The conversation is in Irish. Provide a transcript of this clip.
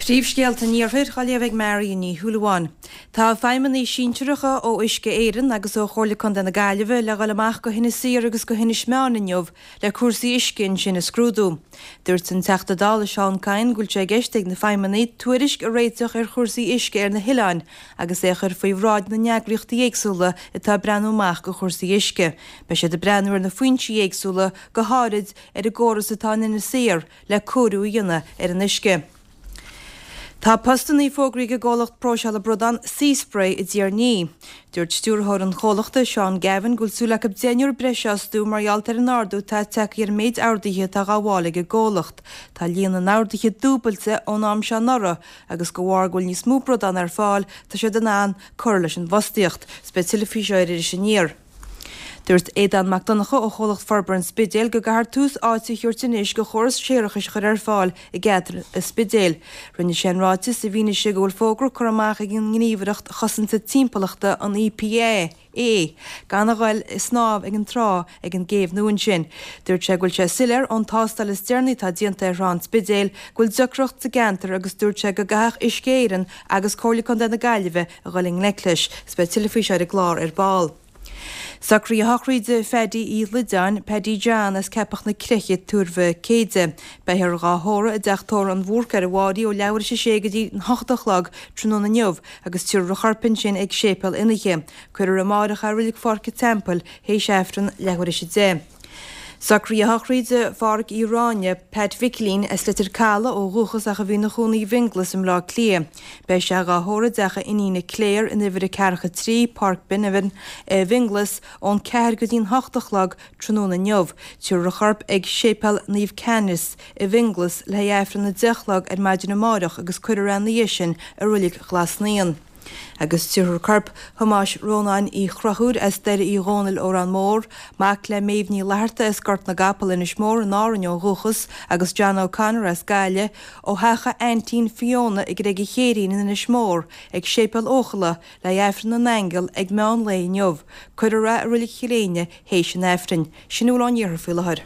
Príomhscéalta an Iarthair á léamh ag Marion Ní Shúilleabháin. Tá feidhmeannaigh sinsearacha ó Uisce Éireann agus ó Chomhairle Contae na Gaillimhe le dhul amach go hInis Oírr agus go hInis Meáin inniu le cúrsaí uisce ansin a scrúdú. Dúirt an Teachta Dála Seán Kyne go bhfuil sé i gceist ag na feidhmeannaigh tuairisc a réiteach ar chúrsaí uisce ar na hoileáin agus é a chur faoi bhráid na n-eagraíochtaí éagsúla atá ag breathnú amach go chúrsaí uisce. Beidh siad ag breathnú ar na foinsí éagsúla, go háirid ar an gcóras atá in Inis Oírr, le cóiriú a dhéanamh ar an uisce. Tá postannaí fógraithe ag an gcomhlacht próiseála bradán Seaspray i dTír an Fhia. Dúirt stiúrthóir an chomhlachta, Seán Gavin, go bhfuil súil acu deichniúr breise a fhostú mar gheall ar an ardú atá tagtha ar an méid orduithe atá á ghabháil ag an gcomhlacht. Tá líon na n-orduithe dúbailte ón am seo anuraidh agus de bharr go bhfuil níos mó bradán ar fáil tá siad in ann cur leis an bhfostaíocht. 'S beidh tuilleadh faoi seo ar Iris Aniar. Dúirt Aodán Mac Donncha ó Chomhlacht Forbartha an Spidéil go gcaithfear tús áite a thabhairt anois go chóras séarachais a chur ar fáil i gceantar an Spidéil. Rinne sé an ráiteas i bhfianaise go bhfuil fógra curtha amach ag an nGníomhaireacht Chosanta Timpeallachta, an EPA, gan a ghoil ag snámh ag an trá ag an gcéibh nua ansin. Dúirt sé go bhfuil sé soiléir ón tástáil is deireanaí atá déanta ar thrá an Spidéil go bhfuil deacracht sa gceantar agus dúirt sé go gcaithfeadh Uisce Éireann agus Comhairle Contae na Gaillimhe a ghoil i ngleic leis. 'S beidh tuilleadh faoi seo ar an gclár ar ball. Socruithe sochraide Phaddy Uí Loideáin, Paddy John as Ceapach na Creiche, Tuar Mhic Éide. Beifear dhá thórramh i dteach tórraimh an Bhúrc ar an Bhfáirí ó leathuair théis a sé go dtí an hocht a chlog tráthnóna inniu agus tabharfar a chorp ansin ag Séipéal Fhionnaithe. Cuirfear amáireach é i Reilig Pháirc an Teampaill théis Aifreann leathuair théis a 10. Socruithe sochraide Phádhraic Uí Ráinne, Pat Mhicilín, as Leitir Caladh ó dhúchas ach a bhí ina chónaí i bhFionnghlas i mBleá Cliath. Beidh sé dhá thórramh i dteach a iníne Claire in uimhir a ceathracha 3, Páirc Beneavin i bhFionnghlas ón 4 go dtí an 8 a chlog tráthnóna inniu. Tabharfar a chorp ag Séipéal Naomh Canice i bhFionnghlas le haghaidh Aifreann a 10 a chlog ar maidin amáireach agus cuirfear é ina dhiaidh sin i Reilig Ghlas Naíon. Agus tabharfar corp Thomáis Rónáin Uí Chonchúir as Doire Uí Dhónaill, Órán Mór, mac le Méabh Ní Fhlatharta as Gort na gCapall, Inis Mór in Árainn ó dhúchas, agus John O'Connor as Gaillimh, ó theach a aintín Fiona i gCreig an Chéirín in Inis Mór, ag Séipéal Eochalla, le haghaidh Aifreann na nAingeal ag meán lae inniu. Cuirfear é i Reilig Chill Éinne théis an Aifrinn. Sin a bhfuil ón iarthar faoi láthair.